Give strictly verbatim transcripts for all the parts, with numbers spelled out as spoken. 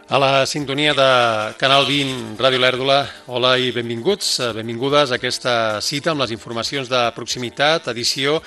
A la sintonia de Canal vint, Ràdio Lèrdula, hola i benvinguts, benvingudes a aquesta cita amb les informacions de proximitat, edició,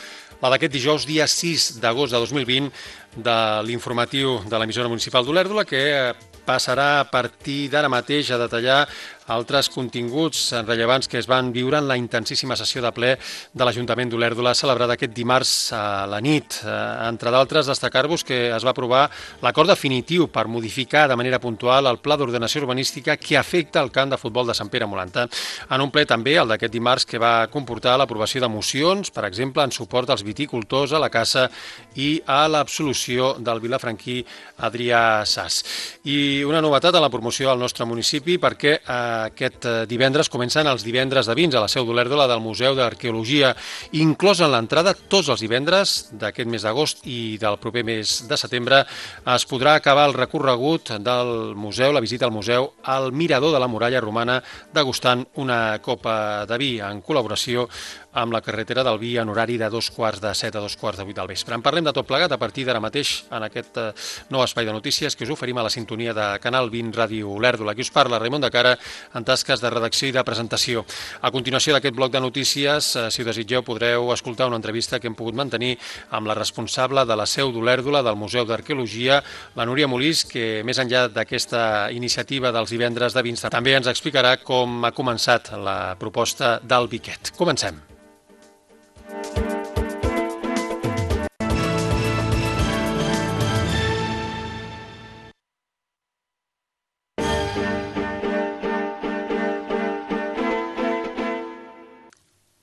la d'aquest dijous, dia sis d'agost de dos mil vint, de l'informatiu de l'emissora municipal d'Olèrdola, que passarà a partir d'ara mateix a detallar altres continguts rellevants que es van viure en la intensíssima sessió de ple de l'Ajuntament d'Olèrdola celebrada aquest dimarts a la nit. Entre d'altres, destacar-vos que es va aprovar l'acord definitiu per modificar de manera puntual el pla d'ordenació urbanística que afecta el camp de futbol de Sant Pere Molanta. En un ple també, el d'aquest dimarts, que va comportar l'aprovació de mocions, per exemple, en suport als viticultors, a la caça i a l'absolució del vilafranquí Adrià Sas. I una novetat a la promoció al nostre municipi, perquè eh, aquest divendres comencen els divendres de vins a la seu d'Olèrdola del Museu d'Arqueologia, inclòs en l'entrada tots els divendres d'aquest mes d'agost i del proper mes de setembre. Es podrà acabar el recorregut del museu, la visita al museu, al mirador de la muralla romana, degustant una copa de vi en col·laboració amb la carretera del vi en horari de dos quarts de set a dos quarts de vuit del vespre. En parlem de tot plegat a partir d'ara mateix en aquest nou espai de notícies que us oferim a la sintonia de Canal vint Ràdio Olèrdola. Aquí us parla Raimon de Cara en tasques de redacció i de presentació. A continuació d'aquest bloc de notícies, si ho desitgeu, podreu escoltar una entrevista que hem pogut mantenir amb la responsable de la seu d'Olèrdola del Museu d'Arqueologia, la Núria Molís, que més enllà d'aquesta iniciativa dels divendres de vins també ens explicarà com ha començat la proposta del Biquet. Comencem.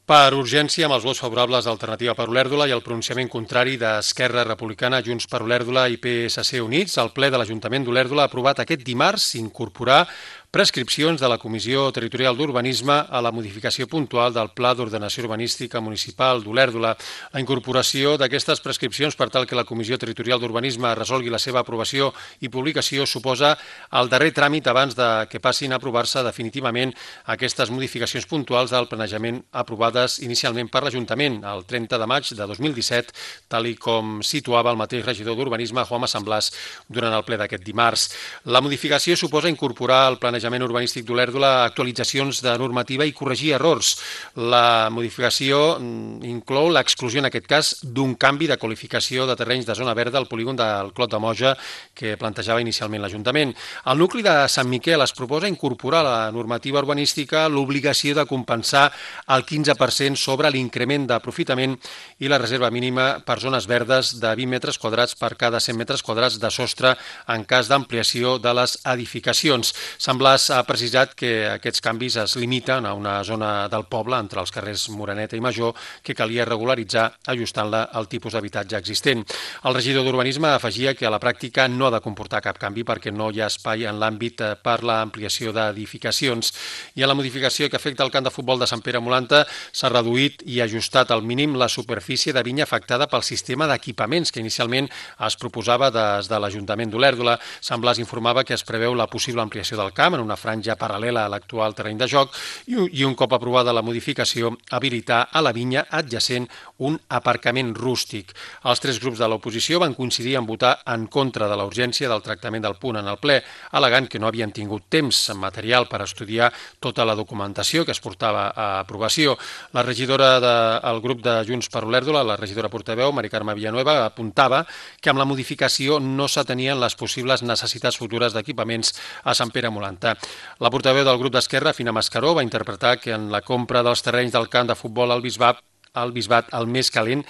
Per urgència, amb els vots favorables d'Alternativa per Olèrdola i el pronunciament contrari d'Esquerra Republicana, Junts per Olèrdola i P S C Units, el ple de l'Ajuntament d'Olèrdola ha aprovat aquest dimarts incorporar prescripcions de la Comissió Territorial d'Urbanisme a la modificació puntual del Pla d'Ordenació Urbanística Municipal d'Olèrdola. La incorporació d'aquestes prescripcions per tal que la Comissió Territorial d'Urbanisme resolgui la seva aprovació i publicació suposa el darrer tràmit abans de que passin a aprovar-se definitivament aquestes modificacions puntuals del planejament aprovades inicialment per l'Ajuntament el trenta de maig de dos mil disset, tal i com situava el mateix regidor d'Urbanisme, Jaume Samblàs, durant el ple d'aquest dimarts. La modificació suposa incorporar al planejament Planejament Urbanístic d'Olèrdola actualitzacions de normativa i corregir errors. La modificació inclou l'exclusió, en aquest cas, d'un canvi de qualificació de terrenys de zona verda al polígon del Clot de Moja que plantejava inicialment l'Ajuntament. Al nucli de Sant Miquel es proposa incorporar a la normativa urbanística l'obligació de compensar el quinze per cent sobre l'increment d'aprofitament i la reserva mínima per zones verdes de vint metres quadrats per cada cent metres quadrats de sostre en cas d'ampliació de les edificacions. Sembla ha precisat que aquests canvis es limiten a una zona del poble, entre els carrers Moreneta i Major, que calia regularitzar ajustant-la al tipus d'habitatge existent. El regidor d'Urbanisme afegia que a la pràctica no ha de comportar cap canvi perquè no hi ha espai en l'àmbit per l'ampliació d'edificacions. I a la modificació que afecta el camp de futbol de Sant Pere Molanta s'ha reduït i ajustat al mínim la superfície de vinya afectada pel sistema d'equipaments que inicialment es proposava des de l'Ajuntament d'Olèrdola. Samblàs informava que es preveu la possible ampliació del camp en una franja paral·lela a l'actual terreny de joc i un cop aprovada la modificació habilitar a la vinya adjacent un aparcament rústic. Els tres grups de l'oposició van coincidir en votar en contra de la urgència del tractament del punt en el ple, al·legant que no havien tingut temps material per estudiar tota la documentació que es portava a aprovació. La regidora del grup de Junts per Olèrdola, la regidora portaveu, Mari Carme Villanueva, apuntava que amb la modificació no s'atenien les possibles necessitats futures d'equipaments a Sant Pere Molanta. La portaveu del grup d'Esquerra, Fina Mascaró, va interpretar que en la compra dels terrenys del camp de futbol al Bisbat, al Bisbat el més calent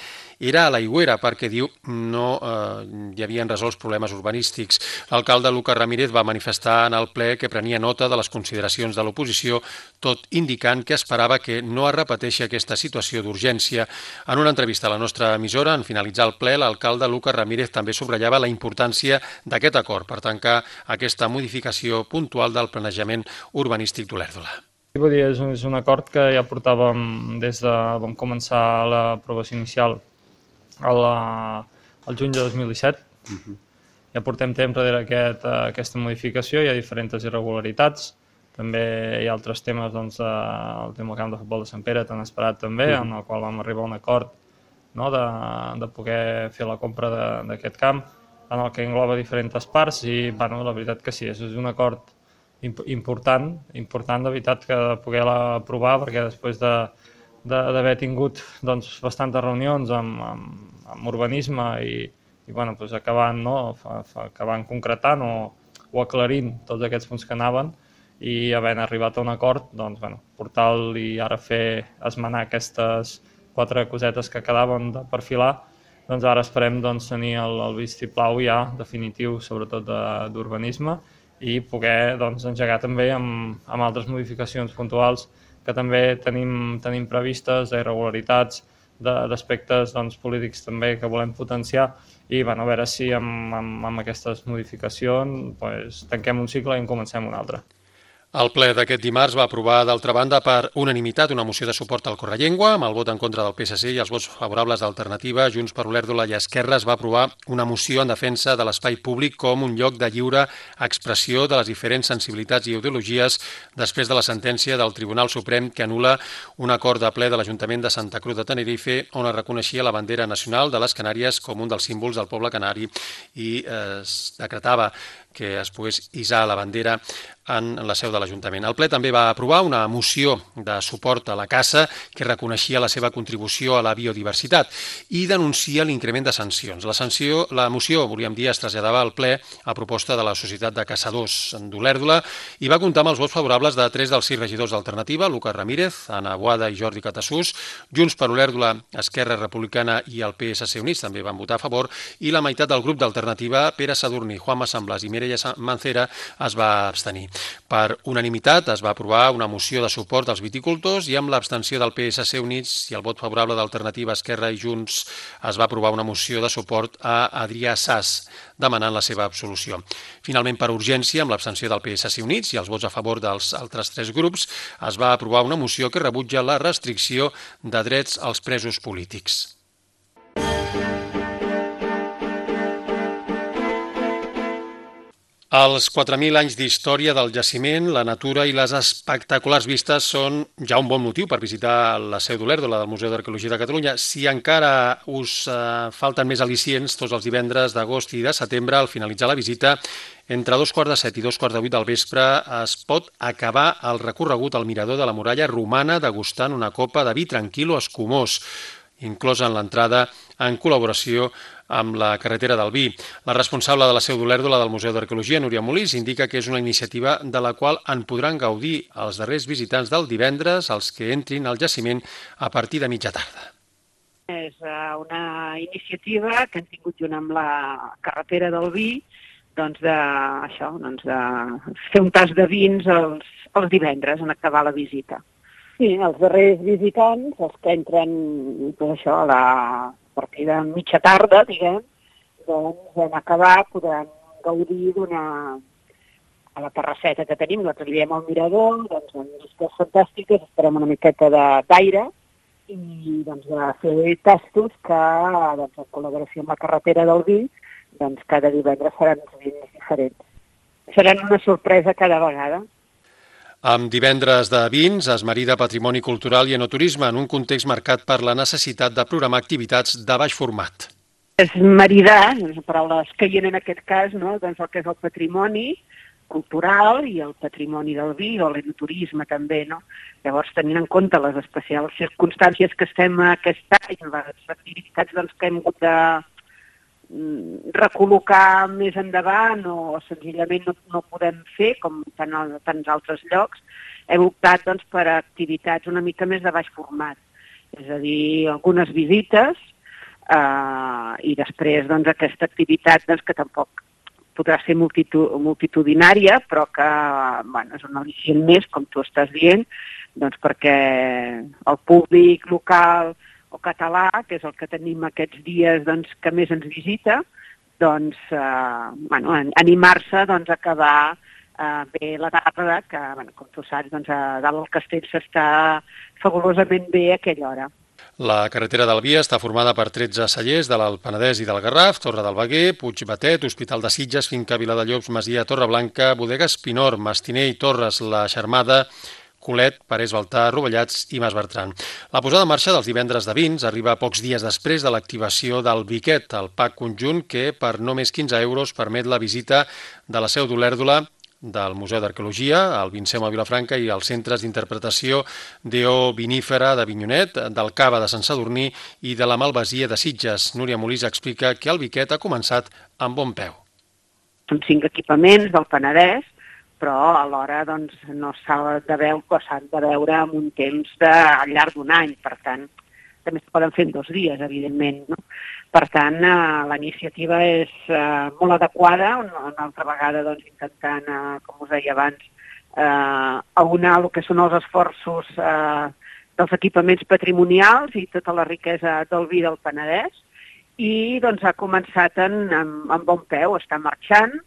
era a l'Aigüera, perquè, diu, no eh, hi havien resolts problemes urbanístics. L'alcalde Lucas Ramírez va manifestar en el ple que prenia nota de les consideracions de l'oposició, tot indicant que esperava que no es repeteixi aquesta situació d'urgència. En una entrevista a la nostra emissora, en finalitzar el ple, l'alcalde Lucas Ramírez també subratllava la importància d'aquest acord per tancar aquesta modificació puntual del planejament urbanístic d'Olèrdola. Vull dir, és un, és un acord que ja portàvem des de... vam començar l'aprovació inicial al juny de dos mil disset. Uh-huh. Ja portem temps darrere aquest, aquesta modificació, hi ha diferents irregularitats. També hi ha altres temes, doncs, el tema del camp de futbol de Sant Pere, tan esperat també, uh-huh. en el qual vam arribar a un acord, no?, de, de poder fer la compra d'aquest camp. en el que engloba diferents parts i bueno, la veritat que sí, és un acord important, important de veritat que poder aprovar, perquè després de d'haver tingut doncs, bastantes reunions amb, amb, amb urbanisme i, i bueno, doncs acabant, no? fa, fa, acabant concretant o, o aclarint tots aquests punts que anaven i havent arribat a un acord, doncs, bueno, portar-lo i ara fer esmenar aquestes quatre cosetes que quedaven de perfilar, doncs ara esperem doncs, tenir el, el vistiplau ja definitiu, sobretot d'urbanisme, i poder doncs, engegar també amb, amb altres modificacions puntuals que també tenim, tenim previstes, d'irregularitats, d'aspectes doncs, polítics també que volem potenciar i bueno, a veure si amb, amb, amb aquestes modificacions doncs, tanquem un cicle i en comencem un altre. El ple d'aquest dimarts va aprovar, d'altra banda, per unanimitat una moció de suport al Correllengua, amb el vot en contra del P S C i els vots favorables d'Alternativa, Junts per Olèrdola i Esquerra. Es va aprovar una moció en defensa de l'espai públic com un lloc de lliure expressió de les diferents sensibilitats i ideologies després de la sentència del Tribunal Suprem que anul·la un acord de ple de l'Ajuntament de Santa Cruz de Tenerife on es reconeixia la bandera nacional de les Canàries com un dels símbols del poble canari i eh, es decretava que es pogués hissar la bandera en la seu de l'Ajuntament. El ple també va aprovar una moció de suport a la caça que reconeixia la seva contribució a la biodiversitat i denuncia l'increment de sancions. La, sanció, la moció, volíem dir, es traslladava al ple a proposta de la Societat de Caçadors d'Olèrdola i va comptar amb els vots favorables de tres dels sis regidors d'Alternativa, Lucas Ramírez, Anna Boada i Jordi Catassús, Junts per Olèrdola, Esquerra Republicana i el P S C Units també van votar a favor i la meitat del grup d'Alternativa, Pere Sadurní, Juanma Samblas i Mireia Mancera, es va abstenir. Per unanimitat es va aprovar una moció de suport als viticultors i amb l'abstenció del P S C Units i el vot favorable d'Alternativa, Esquerra i Junts es va aprovar una moció de suport a Adrià Sas, demanant la seva absolució. Finalment, per urgència, amb l'abstenció del P S C Units i els vots a favor dels altres tres grups, es va aprovar una moció que rebutja la restricció de drets als presos polítics. Els quatre mil anys d'història del jaciment, la natura i les espectaculars vistes són ja un bon motiu per visitar la seu d'Olèrdola del Museu d'Arqueologia de Catalunya. Si encara us eh, falten més al·licients, tots els divendres d'agost i de setembre, al finalitzar la visita, entre dos quarts de set i dos quarts de vuit del vespre es pot acabar el recorregut al mirador de la muralla romana degustant una copa de vi tranquil o escumós, inclosa en l'entrada en col·laboració amb la carretera del vi. La responsable de la seu d'Olèrdola del Museu d'Arqueologia, Núria Molís, indica que és una iniciativa de la qual en podran gaudir els darrers visitants del divendres, els que entrin al jaciment a partir de mitja tarda. És una iniciativa que hem tingut junt amb la carretera del vi, doncs de, això, doncs de fer un tas de vins els, els divendres en acabar la visita. Sí, els darrers visitants, els que entren doncs això, a la partir de mitja tarda, diguem, doncs en acabar podran gaudir d'una... a la terrasseta que tenim, la trobem al mirador, doncs amb vistes fantàstiques, esperem una miqueta d'aire i doncs de fer tastos que, doncs, en col·laboració amb la carretera del vi, doncs cada divendres seran uns vins diferents. Seran una sorpresa cada vegada. Amb divendres de vins es marida patrimoni cultural i enoturisme en un context marcat per la necessitat de programar activitats de baix format. És maridar, les paraules que hi ha en aquest cas, no? Doncs el que és el patrimoni cultural i el patrimoni del vi o l'enoturisme també, no? Llavors, tenint en compte les especials circumstàncies que estem aquest any, les activitats doncs, que hem hagut de recol·locar més endavant o senzillament no, no podem fer, com tant a tants altres llocs, hem optat doncs, per activitats una mica més de baix format. És a dir, algunes visites eh, i després doncs, aquesta activitat doncs, que tampoc podrà ser multitud, multitudinària, però que bueno, és un al·licient més, com tu estàs dient, doncs, perquè el públic local o català, que és el que tenim aquests dies doncs, que més ens visita, doncs, eh, bueno, animar-se doncs, a acabar eh, bé la tarda, que, bueno, com tu saps, doncs, a dalt del castell s'està fabulosament bé a aquella hora. La carretera del Vi està formada per tretze cellers de l'Alt Penedès i del Garraf, Torre del Veguer, Puigbatet, Hospital de Sitges, Finca Viladellobs, Masia Torreblanca, Bodegues Pinor, Mastiner i Torres, la Xarmada, Colet, Parés, Baltar, Rovellats i Mas Bertran. La posada en marxa dels divendres de vins arriba pocs dies després de l'activació del Biquet, el pack conjunt que per no més quinze euros permet la visita de la seu d'Olèrdola, del Museu d'Arqueologia, el Vinceum a Vilafranca i els centres d'interpretació d'Eo Vinífera d'Avinyonet, del Cava de Sant Sadurní i de la Malvasia de Sitges. Núria Molís explica que el Biquet ha començat amb bon peu. Són cinc equipaments del Penedès, però alhora doncs, no s'ha de veure, s'han de veure en un temps de, al llarg d'un any, per tant, també es poden fer en dos dies, evidentment, no? Per tant, eh, la iniciativa és eh, molt adequada, una, una altra vegada doncs, intentant, eh, com us deia abans, eh, aunar el que són els esforços eh, dels equipaments patrimonials i tota la riquesa del vi del Penedès, i doncs, ha començat en, en, en bon peu, està marxant.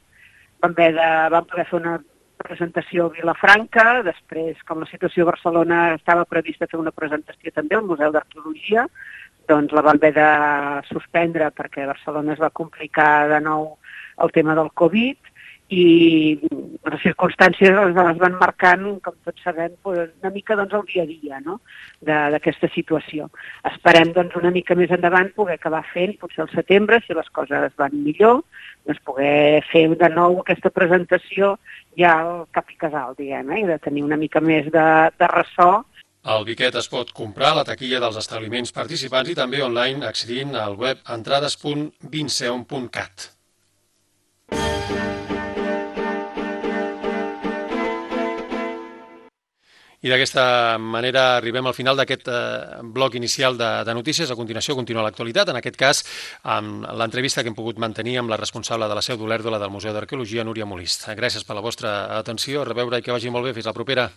Vam, haver de, vam poder fer una presentació a Vilafranca, després, com la situació a Barcelona estava prevista fer una presentació també al Museu d'Arqueologia, doncs la vam haver de suspendre perquè a Barcelona es va complicar de nou el tema del Covid i les circumstàncies les van marcant, com tots sabem, una mica doncs, el dia a dia, no? d'aquesta situació. Esperem doncs, una mica més endavant poder acabar fent, potser al setembre, si les coses van millor, doncs, poder fer de nou aquesta presentació ja al cap i casal, diguem, eh? I de tenir una mica més de, de ressò. El Biquet es pot comprar a la taquilla dels establiments participants i també online accedint al web entrades punt vinceum punt cat. I d'aquesta manera arribem al final d'aquest eh, bloc inicial de, de notícies. A continuació continua l'actualitat, en aquest cas amb l'entrevista que hem pogut mantenir amb la responsable de la seu d'Olèrdola del Museu d'Arqueologia, Núria Molist. Gràcies per la vostra atenció, a reveure i que vagi molt bé. Fins la propera.